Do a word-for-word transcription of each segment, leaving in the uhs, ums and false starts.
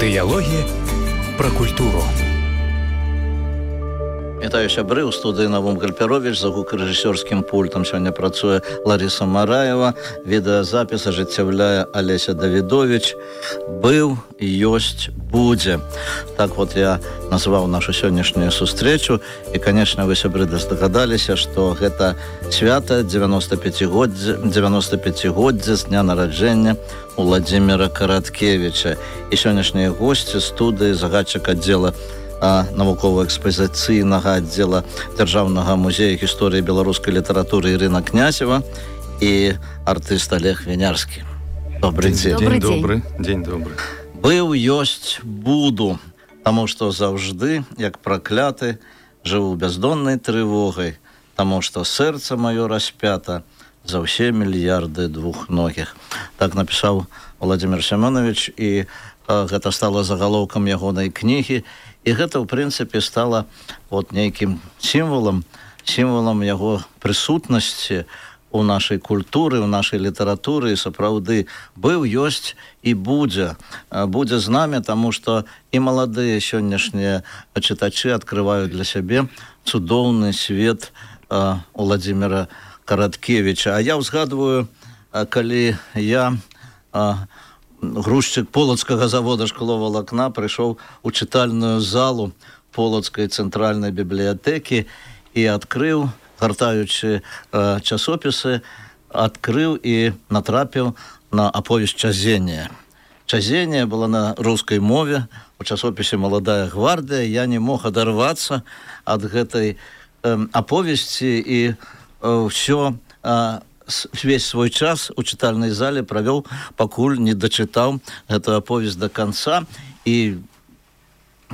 Дыялогі пра культуру. Вітаю сябры, у студыі Навум Гальперович, за гукарэжысёрскім пультам сёння працуе Лариса Мараева, відэазапіс ажыццяўляе Алеся Давідович. Быў, ёсць, будзе. Так вот я назваў нашу сённяшнюю сустрэчу, і, конечно, вы, сябры, здагадаліся, што гэта свята дзевяноста пяцігоддзя з дня нараджэння Уладзіміра Караткевіча. І сённяшнія госці студыі, загадчык аддзела навукова-экспазіцыйнага аддзела Дзяржаўнага музея гісторыі беларускай літаратуры Ірына Князева і артыст Олег Вінярскі. Добрый дзень. Дзень добры. Дзень добры. Быў, ёсць, буду, таму што заўжды, як пракляты, жыву бяздоннай трывогай, таму што сэрца маё распята за ўсе мільярды двухногіх. Так напісаў Владимир Семёнович, і а, гэта стала загалоўкам ягонай кнігі. І гэта, ў прынцыпе, стала вот нейкім сімвалам, сімвалам яго прысутнасці ў нашай культуры, ў нашай літаратуры, і сапраўды быў, ёсць і будзе. Будзе з намі, таму што і маладыя сённяшнія чытачы адкрываюць для сябе цудоўны свет Уладзіміра Караткевіча. А я ўзгадваю, калі я... грузчык полацкага завода шкловалакна прыйшоў у чытальную залу полацкай цэнтральнай бібліятэкі і адкрыў, гартаючы э, часопісы, адкрыў і натрапіў на аповесць Чазенія. Чазенія была на рускай мове, у часопісе «Маладая гвардыя». Я не мог адарвацца ад гэтай э, аповесці і э, ўсё э, весь свой час у чытальнай зале правёў, пакуль не дачытаў гэтую аповесць до конца, і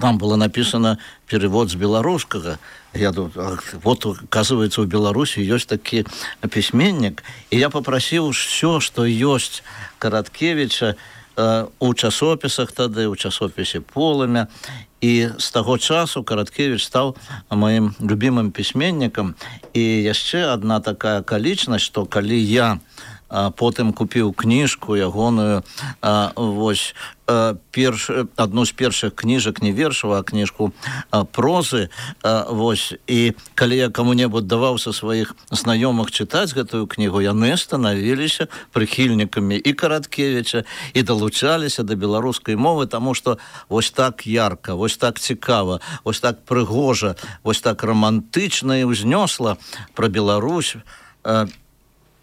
там было написано перевод з беларускага. Я думаю, вот, оказывается, у Беларусі ёсць такі пісьменнік, і я попросіў все, што ёсць Караткевіча э, у часопісах тады, у часопісе «Полымя». І з таго часу Караткевіч стаў маім любімым пісьменнікам. І яшчэ адна такая акалічнасць, што калі я а, потым купіў кніжку ягоную, а, вось, а, перш, адну з першых кніжак, не вершаў, а кніжку а, прозы, а, вось, і калі я каму-небудзь даваў са сваіх знаёмых чытаць гэтую кнігу, яны станавіліся прыхільнікамі і Караткевіча, і далучаліся да беларускай мовы, таму што вось так ярка, вось так цікава, вось так прыгожа, вось так романтычна і ўзнёсла пра Беларусь а,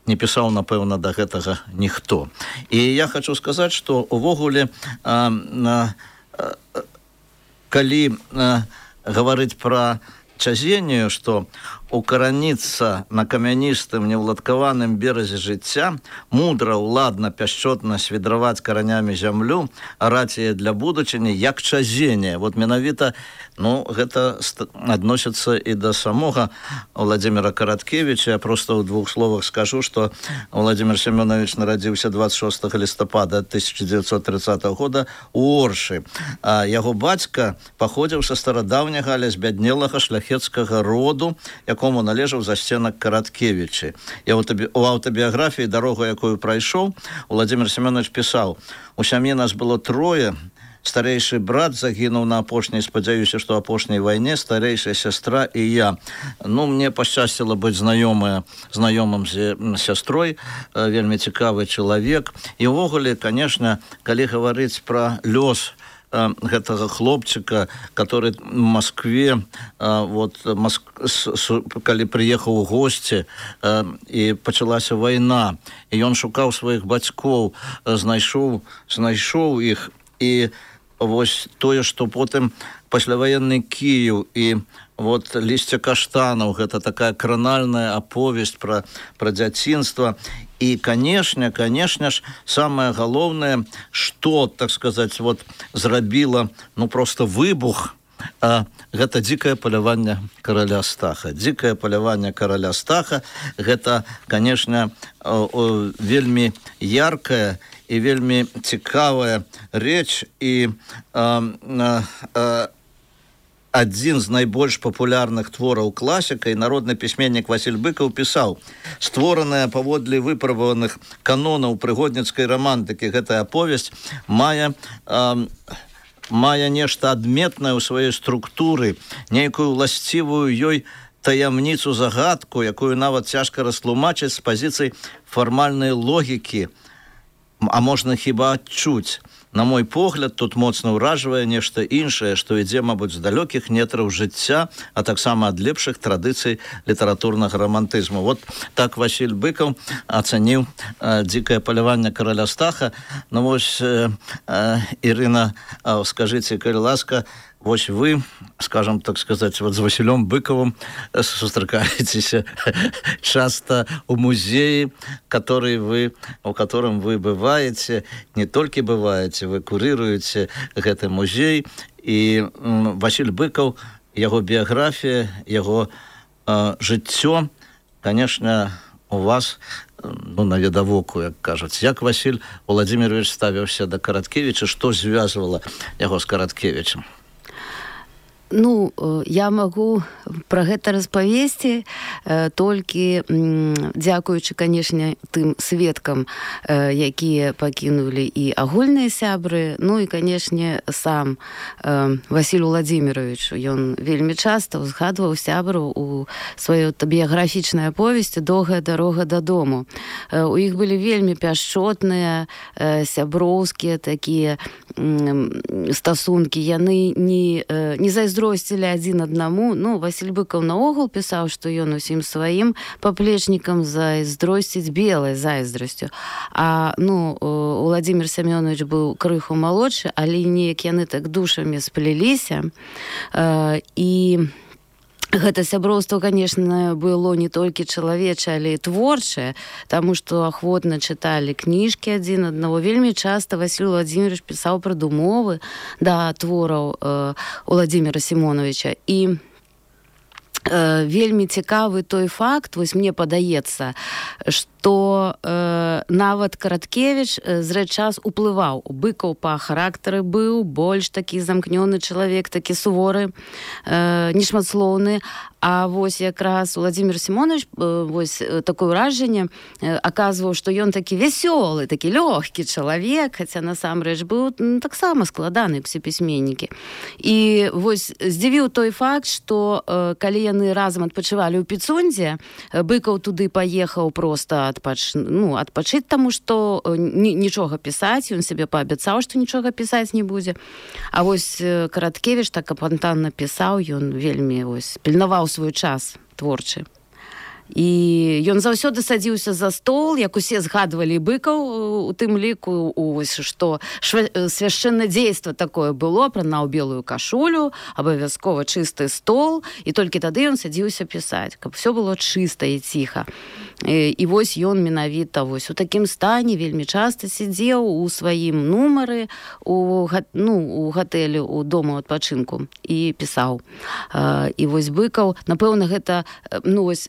не пісаў, напэўна, да гэтага ніхто. І я хочу сказаць, што увогуле а, а, а, калі а, гаварыць пра Чазенію, што укараніцца на камяністым неўладкаваным беразе жыцця, мудра, ўладна, пяшчотна свідраваць каранямі зямлю, араць яе для будучыні, як Чазенія. Вот менавіта, ну, гэта адносіцца і да самога Уладзіміра Караткевіча. Я просто ў двух словах скажу, што Владимир Семёнович нарадзіўся двадцать шостого лістапада тысяча девятьсот тридцатого года у Оршы. А яго бацька паходзіў са старадаўняга, але збяднелага шляхецкага роду, якому належаў засценак Караткевіча. Я у аўтабіяграфіі «Дарогу, якую прайшоў», Владимир Семёнович пісаў: «У сям'і нас было трое, старэйшы брат загінуў на апошняй, спадзяюся, што апошняй вайне, старэйшая сястра і я. Ну, мне пашчасціла быць знаёмая, знаёмым з сястрой, вельмі цікавы чалавек. І ўвогуле, конечно, калі гаварыць пра лёс гэтага хлопчыка, который в Москве, вот, Моск... калі прыехаў у госці, і пачалася вайна, і ён шукаў сваіх бацькоў, знайшоў, знайшоў іх, і вось тое, што потым пасляваенны Кіеў і вот «Лісце каштанаў», гэта такая кранальная аповесць пра, пра дзяцінства. І, конечно, конечно ж, самое галоўнае, што, так сказаць, вот, зрабіла, ну, просто выбух, а, гэта дзікае паляванне караля Стаха. Дзікае паляванне караля Стаха, гэта, конечно, о, о, вельмі яркая і вельмі цікавая рэч, і а, а, а, адзін з найбольш папулярных твораў класіка, і народны пісьменнік Васіль Быкаў пісаў: створаная паводле выпрабаваных канонаў прыгодніцкай романтыкі, гэтая аповесць мае э, мае нешта адметнае ў сваёй структуры, нейкую ўласцівую ёй таямніцу, загадку, якую нават цяжка растлумачыць з пазіцый фармальнай логікі, а можна хіба адчуць. На мой погляд, тут моцна ўражвае нешта іншае, што ідзе, мабыць, з далёкіх нетраў жыцця, а таксама ад лепшых традыцый літаратурнага рамантызму. Вот так Васіль Быкаў ацаніў э, дзікае паляванне караля Стаха. Ну вось, э, э, Ірына, э, скажыце, калі ласка, вось вы, скажем так сказать, вот с Василем Быковым сустракаетесь часто у музее, который вы, у котором вы бываете, не только бываете, вы курируете этот музей. И Василь Быков, его биография, его э, жыццё, конечно, у вас, ну, навідавоку, як кажуць. Як Василь Владимирович ставіўся до Караткевича, что связывало его с Караткевичем? Ну, я магу пра гэта распавесці э, толькі м, дзякуючы, канешне, тым сведкам, э, якія пакінулі і агульныя сябры, ну і, канешне, сам э, Васіль Владимирович. Ён вельмі часта узгадваў сябру у сваёй біяграфічнай аповесці «Доўгая дарога дадому». Э, у іх былі вельмі пяшчотныя, э, сяброўскія такія э, стасункі. Яны не, э, не зайздросцілі адзін аднаму. Ну, Васіль Быкаў наогул пісаў, што ён усім сваім паплечнікам зайздросціць белай зайздрасцю. А, ну, Владимир Семёнович быў крыху малодшы, але неяк яны так душамі сплеліся. Э, і гэта сяброўства, конечно, было не толькі чалавечае, але і творчае, таму што ахвотна чыталі кніжкі адзін аднаго. Вельмі часта Васіль Владимирович пісаў прадумовы да твораў э, Владимира Симоновича. І э, вельмі цікавы той факт, вось мне падаецца, што э, нават Караткевич э, зрэч час уплываў. Быкаў па характары быў больш такі замкнёны чалавек, такі суворы, э, нешматслоўны. А вось якраз Владимир Симонович э, вось такое ўражанне э, аказваў, што ён такі вясёлы, такі лёгкі чалавек, хаця насамрэч быў ну, таксама складаны усе пісьменнікі. І вось здзівіў той факт, што э, калі яны разам адпачывалі ў Піцундзе, Быкаў туды паехаў проста адпач... ну, адпачыць, таму што ні, нічога пісаць, ён сябе паабяцаў, што нічога пісаць не будзе. А вось Караткевич так апантанна пісаў, ён вельмі вось пільнаваў свой час творчы. І ён заўсёды садзіўся за стол, як усе згадвалі Быкаў у тым ліку, ось, што свяшчэннае дзейства такое было, апранаў белую кашулю, абавязкова чысты стол, і толькі тады ён садзіўся пісаць, каб все было чыста і ціха. І, і вось ён менавіта вось у такім стане вельмі часта сидзеў у сваім нумары у, ну, у гатэлі, у дому адпачынку і пісаў. І вось Быкаў, напэўна, гэта, ну, вось,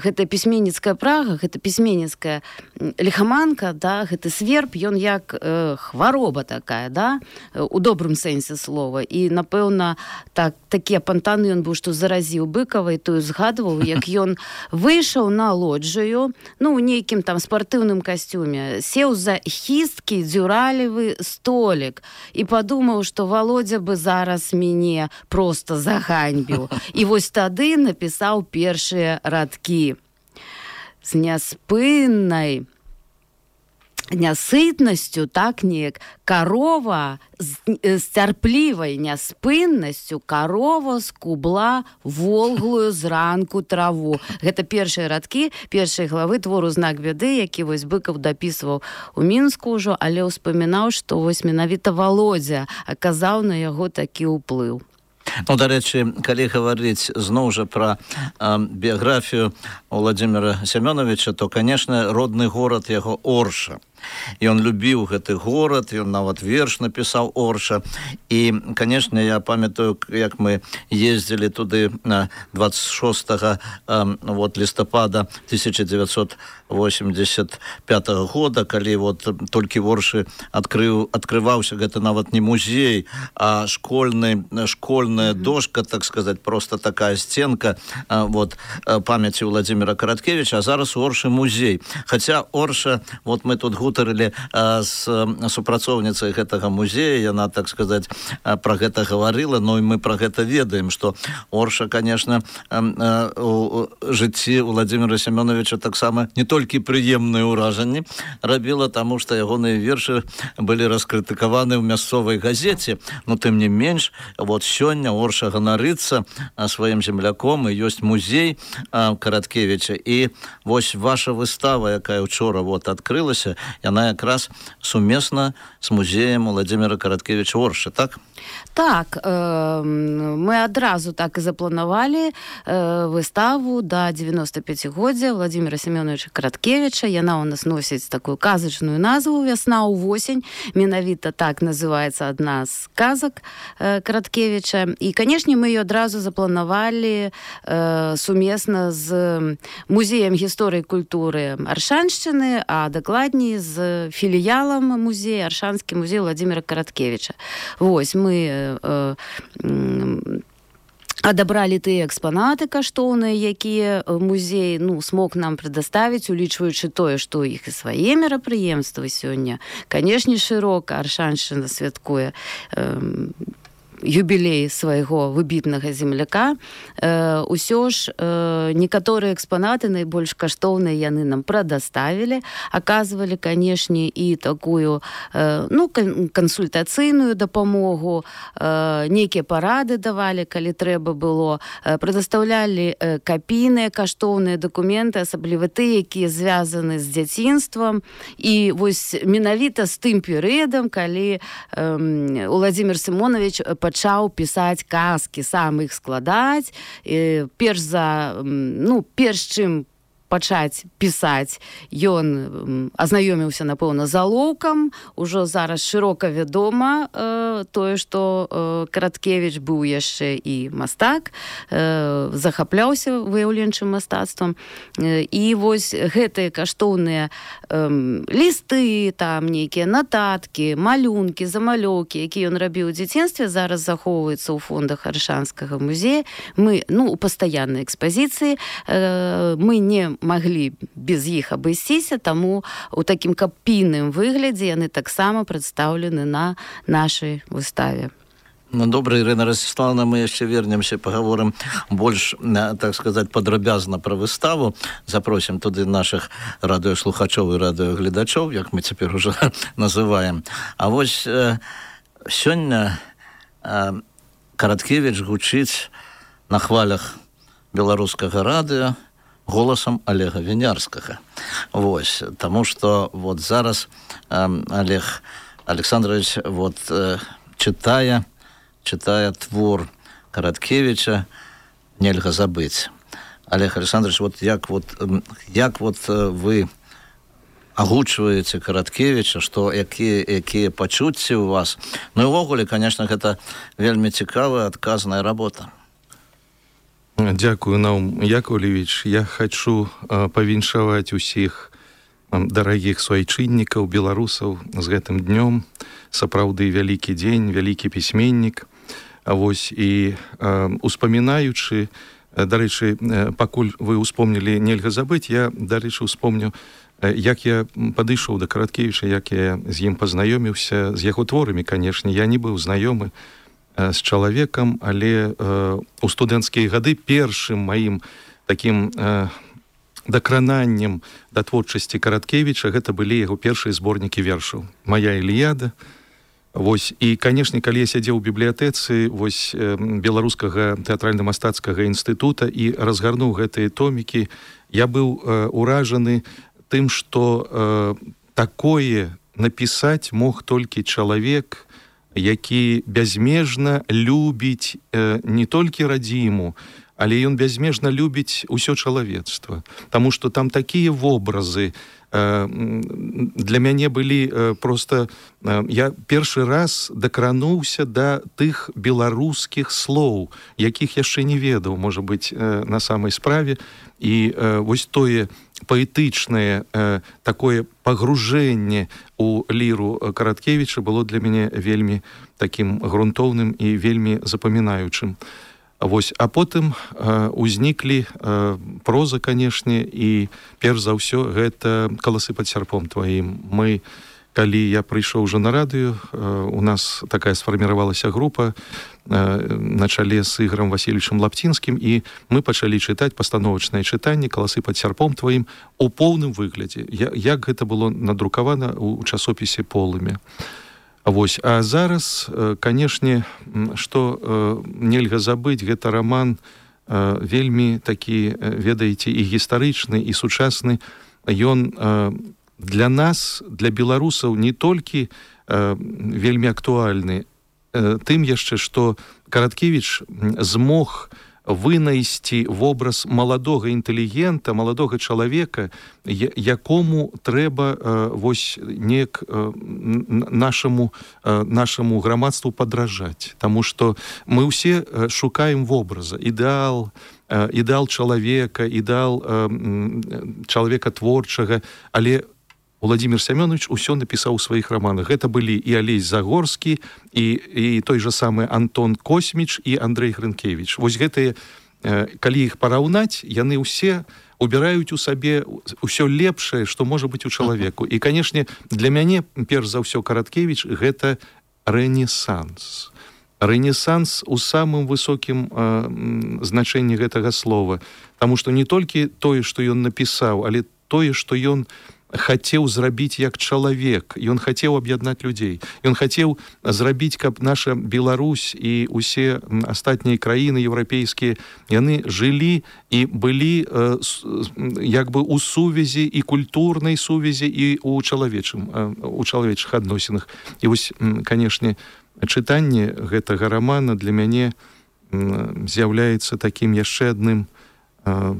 гэта пісьменніцкая прага, гэта пісьменніцкая лихаманка, да, гэты сверб, ён як э, хвароба такая, да, у добрым сэнсе слова. І, напэўна, так, такі апантаны ён быў, што заразіў Быкава, і той згадваў, як ён выйшаў на лоджыю, ну, у нейкім там спартыўным касцюме, сеў за хісткі дзюралевы столік і падумаў, што Володя бы зараз мяне проста заганьбіў. І вось тады напісаў першыя радкі. З няспыннай нясытнасцю, так неяк, карова з, з цярплівай няспыннасцю карова скубла волглую зранку траву. Гэта першыя радкі першай главы твору «Знак бяды», які вось Быкаў дапісваў у Мінску ўжо, але ўспамінаў, што вось менавіта Володя аказаў на яго такі ўплыў. Ну, дарэчы, калі гаварыць зноў жа пра э, біяграфію Владимира Семёновича, то, конечно, родны горад яго Орша. І ён любіў гэты горад, ён нават верш напісаў Орша. І, конечно, я памятаю, як мы ездзілі туды двадцать шостага э, вот, лістапада тысяча девятьсот восемьдесят пятого года, калі вот толькі в Оршы адкрыў, адкрываўся гэта нават не музей, а школьны, школьная дошка, так сказать, просто такая стенка э, вот, памяці Владимира Караткевича, а зараз у Оршы музей. Хаця Орша, вот мы тут гуд гутарылі з супрацоўніцай гэтага музея, яна, так сказаць, пра гэта гаварыла, но і мы пра гэта ведаем, што Орша, конечно, у жыцці Владзіміра Семёновича таксама не толькі прыемныя ўражанні рабіла, таму што ягоныя вершы былі раскрытыкаваны ў мясцовай газеце, но тым не менш, вот сёння Орша ганарыцца сваім земляком, і ёсць музей Караткевіча, і вось ваша выстава, якая учора вот адкрылася, яна якраз сумесна з музеем Владзіміра Караткевіча Оршы, так? Так, э, мы адразу так і запланавалі э, выставу да дзевяностапяцігоддзя Владзіміра Семёновича Караткевіча. Яна у нас носіць такую казачную назву «Вясна ў восень». Менавіта так называецца адна з казак э, Караткевіча. І, канешне, мы ее адразу запланавалі э, сумесна з музеем гісторыі і культуры Аршаншчыны, а дакладней з філіялам музея, Аршанскі музей Владзіміра Караткевіча. Вось, мы э, э, адабралі тыя экспанаты каштоўныя, якія музей ну, смог нам прадаставіць, улічваючы тое, што ў іх і свае мерапрыемствы сёння. Канешне, шырока Аршаншчына святкуе э, юбілей свайго выбітнага земляка. Э, усё ж э, некаторыя экспанаты найбольш каштоўныя яны нам прадаставілі, аказвалі, канешне, і такую э, ну, кансультацыйную дапамогу, э, нейкія парады давалі, калі трэба было, э, прадастаўлялі э, капійныя каштоўныя дакументы, асабліва тыя, якія звязаны з дзяцінствам. І вось менавіта з тым перыядам, калі э, Владзімір Семёнович пачаў пісаць казкі, сам іх складаць. І перш за, ну, перш чым пачаць пісаць, ён азнаёміўся, напэўна, з алоўкам. Ужо зараз шырока вядома э, тое, што э, Караткевіч быў яшчэ і мастак, э, захапляўся выяўленчым мастацтвам. Э, і вось гэтыя каштоўныя э, лісты, там нейкія нататкі, малюнкі, замалёўкі, якія ён рабіў у дзяцінстве, зараз захоўваюцца ў фондах Аршанскага музея. Мы, ну, у пастаяннай экспазіцыі, э, мы не маглі без іх абысціся, таму у такім капійным выглядзе яны таксама прадстаўлены на нашай выставе. Ну, добра, Ірына Ростиславовна, мы яшчэ вернемся, паговорым больш, так сказаць, падрабязна пра выставу. Запросім туды нашых радыёслухачоў і радыёгледачоў, як мы цяпер ужо называем. А вось э, сёння э, Караткевіч гучыць на хвалях беларускага радыё голасам Олега Вінярскага. Вось, таму што вот зараз э, Олег Александрович вот э, чытае, чытае твор Караткевіча «Нельга забыць». Олег Александрович, вот як вот, як вот вы агучваеце Караткевіча, што якія, якія пачуцці ў вас? Ну і ўвогуле, конечно, гэта вельмі цікавая адказная работа. Дякую, Наум Яковлевич. Я хочу э, павіншаваць усіх э, дарагіх суайчыннікаў, беларусаў з гэтым днём. Сапраўды вялікі дзень, вялікі пісьменнік. А вось і э, успамінаючы, э, дарэчы, э, пакуль вы успомнілі «Нельга забыць», я, дарэчы, успомню, э, як я падышоў да Караткевіча, як я з ім пазнаёміўся, з яго творамі, канешне. Я не быў знаёмы з чалавекам, але э, у студэнцкія гады першым маім такім э, дакрананнем да творчасці Караткевіча гэта былі яго першыя зборнікі вершаў «Мая Іліяда». Вось, і, канешне, калі я сядзеў у бібліятэцы вось э, Беларускага тэатральна-мастацкага інстытута і разгарнуў гэтыя томікі, я быў э, уражаны тым, што э, такое напісаць мог толькі чалавек, які бязмежна любіць э, не толькі радзіму, але ён бязмежна любіць усё чалавецтва. Таму што там такія вобразы э, для мяне былі э, проста... Э, я першы раз дакрануўся да тых беларускіх слоў, якіх яшчэ не ведаў, можа быць, э, на самай справе. І э, вось тое паэтычнае э, такое пагружэнне у ліру Караткевіча было для мяне вельмі такім грунтоўным і вельмі запамінаючым. Вось, а потым э, узніклі э, проза, канешне, і перш за ўсё гэта каласы пад сярпом тваім. Мы, калі я прыйшоў уже на радыё, э, у нас такая сфарміравалася група э, на чале з Ігорам Васильевичем Лаптинскім, і мы пачалі чытаць пастановачнае чытанне каласы пад сярпом тваім у поўным выглядзе, я, як гэта было надрукавана ў часопісе Полымя. Вось, а зараз, канешне, што нельга забыць, гэта раман вельмі такі, ведаеце, і гістарычны, і сучасны. Ён для нас, для беларусаў, не толькі вельмі актуальны, тым яшчэ, што Караткевіч змог вынайсці вобраз маладога інтэлігента, маладога чалавека, якому трэба вось неяк нашаму, нашаму грамадству падражаць. Таму што мы ўсе шукаем вобраза, ідэал, ідэал чалавека, ідэал чалавека творчага, але Владимир Семёнович усё напісаў у сваіх раманах. Гэта былі і Алесь Загорскі, і, і той же самы Антон Косміч, і Андрэй Грынкевіч. Вось гэтыя, калі іх параўнаць, яны ўсе убіраюць у сабе ўсё лепшае, што можа быць у чалавеку. І, канешне, для мяне, перш за ўсё, Караткевіч — гэта рэнесанс. Рэнесанс у самым высокім э, значэнні гэтага слова. Таму што не толькі тое, што ён напісаў, але тое, што ён хацеў зрабіць як чалавек, ён хацеў аб'яднаць людзей, ён хацеў зрабіць, каб наша Беларусь і усе астатнія краіны еўрапейскія, яны жылі і былі э, як бы у сувязі, і культурнай сувязі, і у чалавечым, э, у чалавечых адносінах. І вось, канешне, чытанне гэтага рамана для мяне э, з'яўляецца такім яшчэ адным э,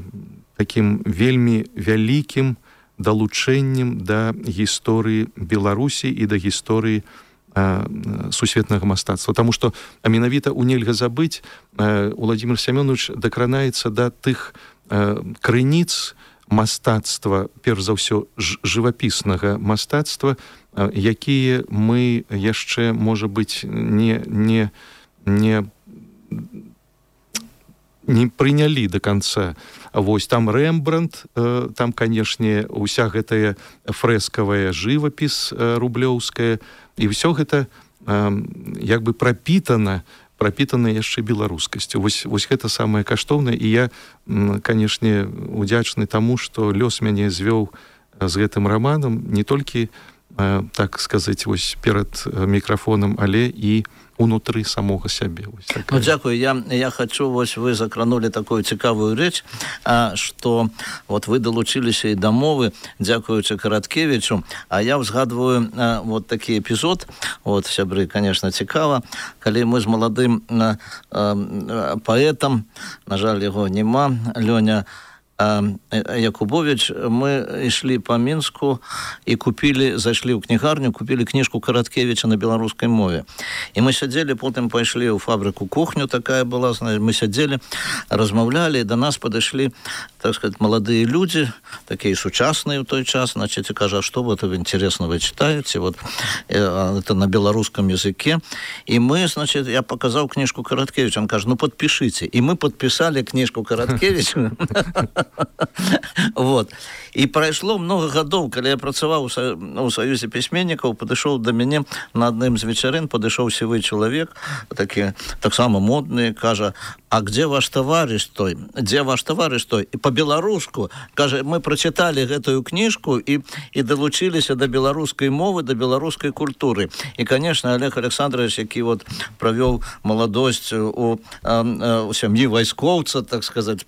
такім вельмі вялікім далучэннем да гісторыі Беларусі і да гісторыі э, сусветнага мастацтва. Таму што, а менавіта ў нельга забыць, э, Владимир Семёнович дакранаецца да тых э, крыніц мастацтва, перш за ўсё жывапіснага мастацтва, э, якія мы яшчэ, можа быць, не, не, не не прынялі до конца. Вось там Рэмбрандт, э, там, канешне, уся гэтая фрэскавая жывапіс э, рублёўская, і ўсё гэта э, як бы прапітана, прапітана яшчэ беларускасцю. Вось, вось гэта самае каштоўнае, і я, э, канешне, удзячны таму, што лёс мяне звёў з гэтым раманам не толькі, э, так сказаць, вось перад мікрафонам, але і унутры самога сябе. Ну, дзякую. Я, я хочу, вось вы закранули такую цікавую рэч, а, што вот вы далучыліся і да мовы, дзякуючы Караткевічу, а я ўзгадваю а, вот такі эпізод, вот, сябры, конечно, цікава, калі мы з маладым а, а, паэтам, на жаль, яго нема, Лёня Якубович, мы ішлі по Мінску і купілі, зайшлі ў кнігарню, купілі кніжку Караткевіча на беларускай мове. І мы сядзелі, потым пайшлі ў фабрыку кухню, такая была, мы сядзелі, размаўлялі, і да нас падышлі, так сказать, маладыя людзі, такія сучасныя ў той час, значит, і кажа, што вот интересно вы читаете, вот это на беларускам языке. І мы, значит, я показаў кніжку Караткевіча, он кажа, ну подпишите. І мы подписали кніжку Караткевіча. Вот. І прайшло много гадоў, калі я працаваў у Саюзе пісьменнікаў, падышоў да мяне на адным з вечарын, падышоў сівы чалавек, такі таксама модны, кажа, а где ваш товарищ той? Где ваш товарищ той? І по-беларуску, кажа, мы прочитали гэтую кніжку і, і далучыліся да беларускай мовы, да беларускай культуры. І, конечно, Олег Александрович, які вот правёў маладосць у, у сям'і вайскоўца, так сказать,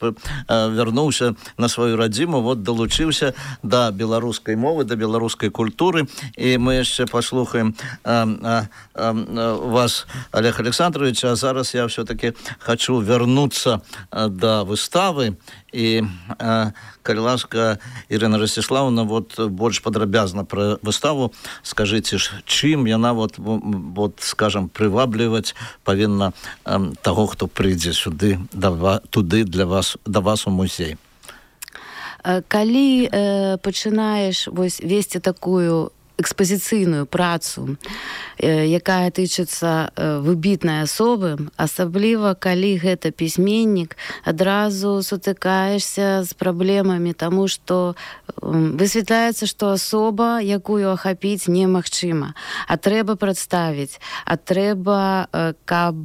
вярнуўся на сваю радзіму, вот далучыўся да беларускай мовы, да беларускай культуры. І мы яшчэ паслухаем а, а, а, вас, Олег Александрович, а зараз я все-таки хочу вернуться до выставы. І, а, калі ласка, Ірына Ростиславовна, вот больш падрабязна пра выставу скажыце, чым яна, вот, вот, скажем, прывабліваць павінна а, таго, хто прыйдзе сюды, да, туды для вас, да вас у музей. Калі э, пачынаеш вось весці такую экспазіцыйную працу, якая тычыцца выбітнай асобы, асабліва калі гэта пісьменнік, адразу сутыкаешся з праблемамі, таму што высвятляецца, што асоба, якую ахапіць немагчыма, а трэба прадставіць, а трэба, каб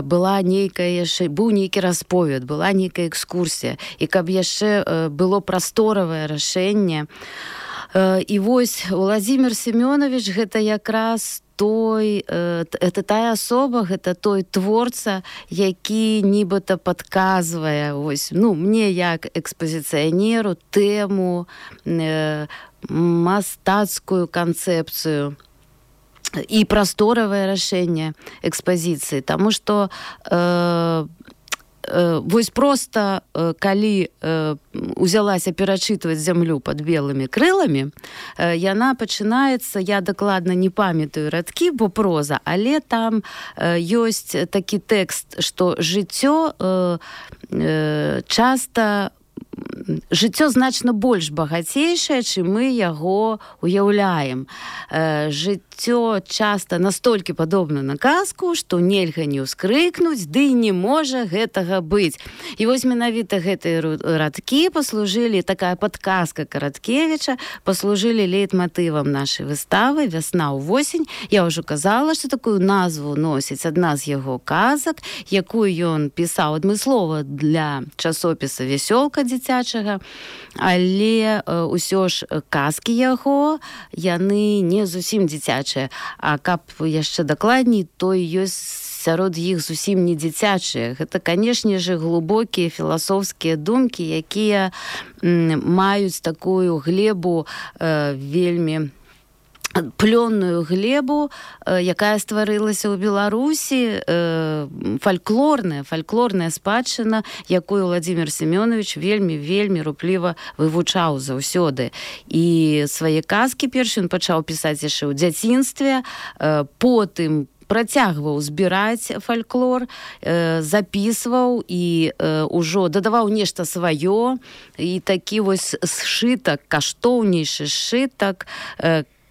была нейкая яшчэ, быў нейкі расповед, была нейкая экскурсія, і каб яшчэ было прасторавае рашэнне. І вось Уладзімір Семёнович гэта якраз той, это тая асоба, гэта той творца, які нібыта падказвае вось, ну, мне як экспазіцыянеру тэму, мастацкую канцэпцыю і прасторавае рашэнне экспазіцыі, таму што э, вось проста, калі узялася перачытваць зямлю пад белымі крыламі, яна пачынаецца, я дакладна не памятаю радкі, бо проза, але там ёсць такі тэкст, што жыццё часта жыццё значна больш багацейшае, чым мы яго уяўляем. Жыццё часта настолькі падобна на казку, што нельга не ўскрыкнуць, ды не можа гэтага быць. І вось менавіта гэтыя радкі паслужылі, такая падказка Караткевіча, паслужылі лейтматывам нашай выставы «Вясна ў восень». Я ўжо казала, што такую назву носіць адна з яго казак, якую ён пісаў адмыслова для часопіса «Вясёлка» дзіцячага, але ўсё ж казкі яго, яны не зусім дзіцячыя, а каб яшчэ дакладней, то ёсць сярод іх зусім не дзіцячыя. Гэта, канешне же, глыбокія філасофскія думкі, якія маюць такую глебу э, вельмі плённую глебу, якая стварылася ў Беларусі, фальклорная, фальклорная спадчына, якую Уладзімір Семёнович вельмі-вельмі рупліва вывучаў заўсёды. І свае казкі першы ён пачаў пісаць яшчэ ў дзяцінстве, потым працягваў збіраць фальклор, запісваў і ўжо дадаваў нешта сваё, і такі вось сшытак, каштоўнейшы сшытак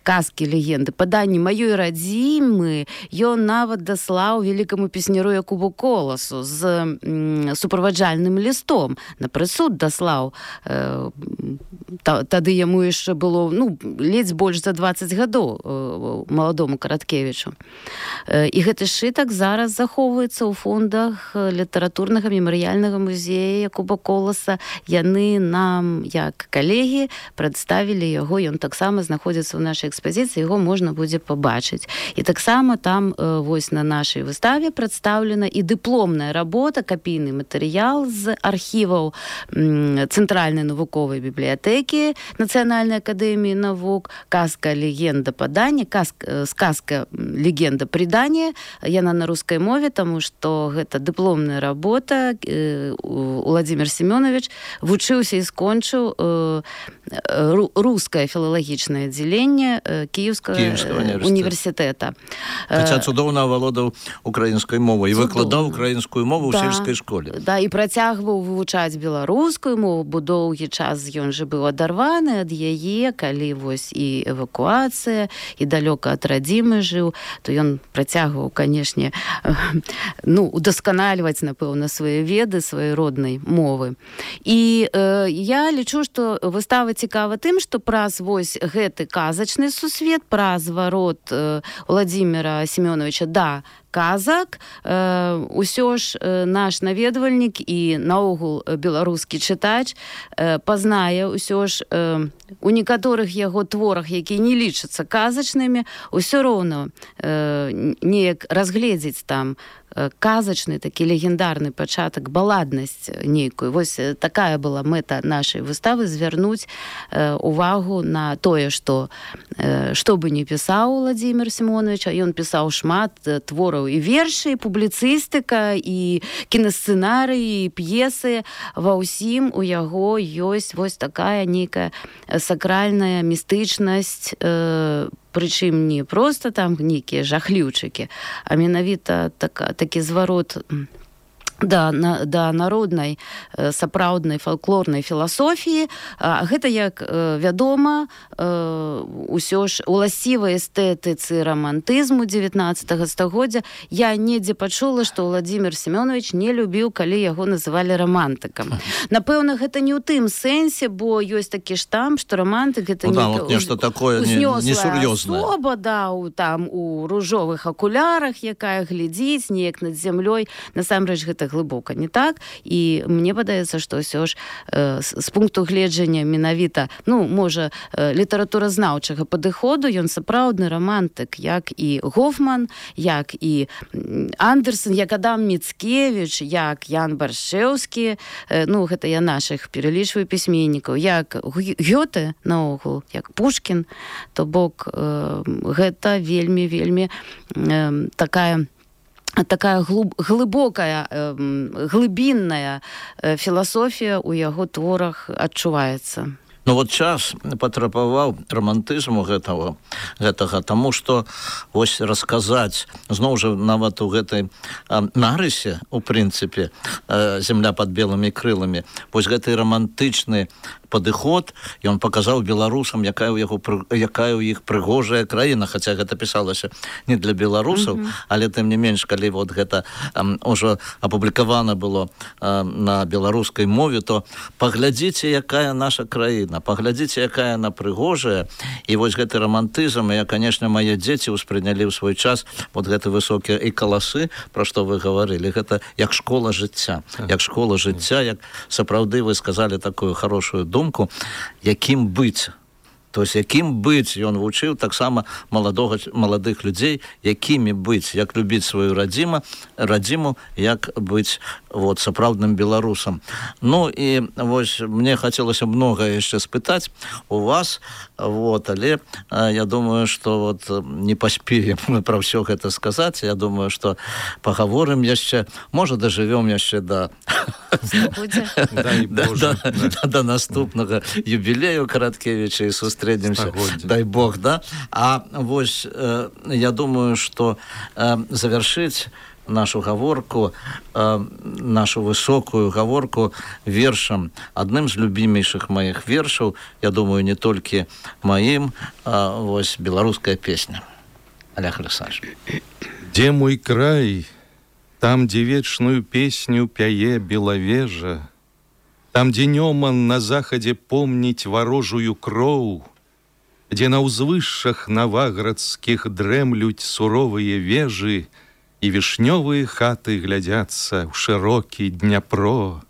казкі, легенды, паданні маёй радзімы ён нават даслаў вялікаму песняру Якубу Коласу з м, суправаджальным лістом. На прысуд даслаў. Э, та, тады яму яшчэ было, ну, ледзь больш за дваццаць гадоў э, маладому Караткевічу. Э, і гэты сшытак зараз захоўваецца ў фондах літаратурнага мемарыяльнага музея Якуба Коласа. Яны нам, як калегі, прадставілі яго, ён таксама знаходзіцца ў нашай экспазіцыі, яго можна будзе пабачыць. І таксама там э, вось на нашай выставе прадстаўлена і дыпломная работа, капійны матэрыял з архіваў м, Цэнтральнай навуковай бібліятэкі Нацыянальнай акадэміі навук, казка, легенда, паданне, казка, сказка, легенда, прыданне. Яна на рускай мове, таму што гэта дыпломная работа. Э, Уладзімір Семёнович вучыўся і скончыў э, рускае філалагічнае аддзяленне Киевского універсітэта. Хаця цудоўна авалодаў украінскай мовай і выкладаў украінскую мову ў сельскай школе. Да, і працягваў вывучаць беларускую мову, бо доўгі час ён же быў адарваны ад яе, калі вось і эвакуацыя, і далёка ад радзімы жыў, то ён працягваў, канешне, ну, удасканальваць, напэўна, свае веды, свае роднай мовы. І э, я лічу, што выстава цікава тым, што праз вось гэты казачны сусвет, праз зварот э, Уладзіміра Семёновича да казак, э, усё ж э, наш наведвальнік і наогул беларускі чытач э, пазнае ўсё ж э, у некаторых яго творах, якія не лічацца казачнымі, усё роўна э, неяк разгледзець там казачны, такі легендарны пачатак, баладнасць нейкую. Вось такая была мэта нашай выставы, звярнуць э, увагу на тое, што э, што бы не пісаў Уладзімір Семёнович, а ён пісаў шмат твораў і вершы, і публіцыстыка, і кінасцэнарыі, і п'есы. Ва ўсім у яго ёсць вось такая нейкая сакральная містычнасць, э, прычым не проста там нейкія жахліўчыкі, а менавіта так, такі зварот да, на, да народнай сапраўднай фалклорнай філасофіі. Гэта, як вядома, ўсё ж уласцівай эстэтыцы рамантызму дзевятнаццатага стагоддзя. Я недзе пачула, што Владзімір Семёнович не любіў, калі яго называлі рамантыкам. Напэўна, гэта не ў тым сэнсе, бо ёсць такі штамп, што рамантык гэта ну, да, вот нешта такое несур'ёзнае. Асоба, да, у, там у ружовых акулярах, якая глядзіць неяк над зямлёй. Насамрэч гэта глыбока не так, і мне падаецца, што ўсё ж э, з, з пункту гледжання менавіта, ну, можа, э, літаратуразнаўчага падыходу, ён сапраўдны рамантык, як і Гофман, як і Андерсон, як Адам Міцкевіч, як Ян Баршчэўскі, э, ну, гэта я нашых пералічваю пісьменнікаў, як Гёте, наогул, як Пушкін, то бок э, гэта вельмі-вельмі э, такая такая глуб, глыбокая, э, глыбінная э, філасофія ў яго творах адчуваецца. Ну вот час патрабаваў рамантызму гэтага, гэтага, таму што вось расказаць, зноў жа нават у гэтай а, нарысе, у прынцыпе, а, зямля пад белымі крыламі, вось гэты рамантычны падыход, ён паказаў беларусам, якая ў яго якая ў іх прыгожая краіна, хаця гэта пісалася не для беларусаў, mm-hmm. але тым не менш, калі вот гэта um, ўжо апублікавана было uh, на беларускай мове, то паглядзіце, якая наша краіна, паглядзіце, якая яна прыгожая, і вось гэты рамантызм, я, канешне, мае дзеці ўспрынялі ў свой час вот гэты высокія і каласы, пра што вы гаварылі, гэта як школа жыцця, як школа жыцця, як сапраўды вы сказалі такую хорошую думку, якім быць. То есть, якім быць, ён вучыў таксама маладога, маладых людзей, якімі быць, як любіць сваю радзіму, радзіму, як быць вот, сапраўдным беларусам. Ну, і вось, мне хацелася многае яшчэ спытаць у вас, вот, але а, я думаю, што вот, не паспеем мы пра ўсё гэта сказаць, я думаю, што пагаворым яшчэ, можа, дажывём яшчэ да... да наступнага юбілею Караткевіча і сустрэнемся, дай Бог, да? А вось, э, я думаю, што э, завяршыць нашу гаворку, э, нашу высокую гаворку вершам, адным з любімейшых маіх вершаў, я думаю, не толькі маім, а вось беларуская песня. Олег Александрович. Где мой край? Там, где вечную песню пяе белавежа, там, где Неман на заходе помнить ворожую кроў, где на узвышшах новаградских дремлють суровые вежи и вишневые хаты глядятся в широкий Дняпро.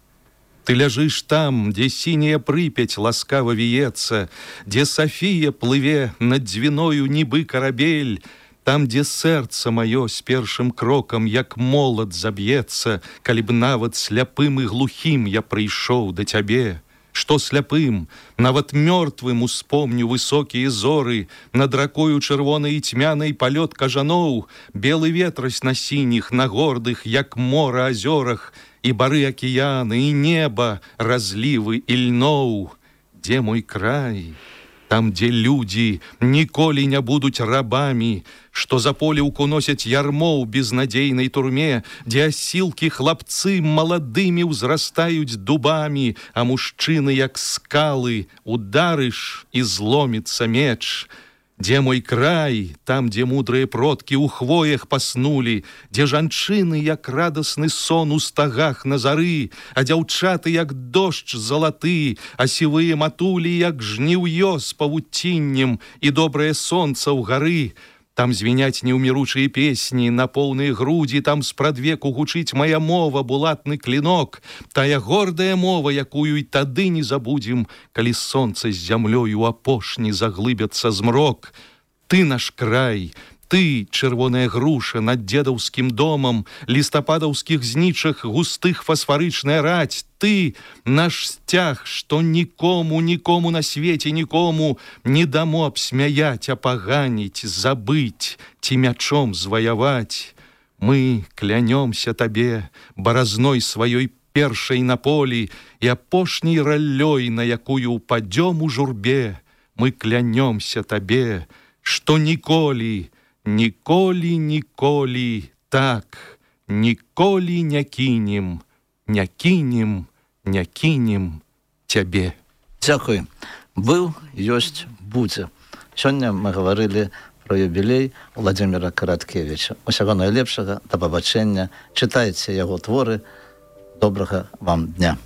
Ты лежишь там, где синяя Припять ласкаво виется, где София плыве над Двиною нібы корабель, там, где сердце мое с першым кроком, як молот заб'ецца, калі б нават сляпым и глухим я прыйшоў да цябе. Что сляпым, нават мёртвым успомню высокие зоры, над ракою чырвонай і тьмянай палёт кажаноў, белы ветрась на сініх, на гордых, як мора азёрах, і бары акіяны, і неба, разлівы і льноў. Где мой край? Там, где люди ніколі не будуць рабамі, што за поліўку носяць ярмо ў безнадзейнай турме, дзе асілкі хлапцы маладымі ўзрастаюць дубамі, а мужчыны, як скалы, ударыш і зломіцца меч. Где мой край? Там, где мудрые продки у хвоях паснули, где жанчыны, як радасны сон у стагах на зары, а дзяўчаты, як дождж залаты, а сівыя матулі, як жніўё з павуціннем і добрае сонца ў гары. Там звеняць неўміручыя песні на поўныя грудзі, там спрадвеку гучыць моя мова, булатны клінок, тая гордая мова, якую і тады не забудзем, калі сонца з зямлёю апошні заглыбяцца змрок. Ты наш край, ты, чырвоная груша над дзедаўскім домам, лістападаўскіх знічах густых фасфарычная раць, ты, наш сцяг, што нікому, нікому на свеце, нікому не дамо абсмяяць, апаганіць, забыць, ці мячом зваяваць. Мы клянёмся табе баразной сваёй першай на полі і апошняй раллёй, на якую упадём у журбе. Мы клянёмся табе, што ніколі, ніколі, ніколі так ніколі не кінем, не кінем, не кінем цябе. Дзякуй. Быў, ёсць, будзе. Сёння мы гаварылі про юбілей Владзіміра Караткевіча. Усяго найлепшага, да пабачэння. Чытайце яго творы. Добрага вам дня.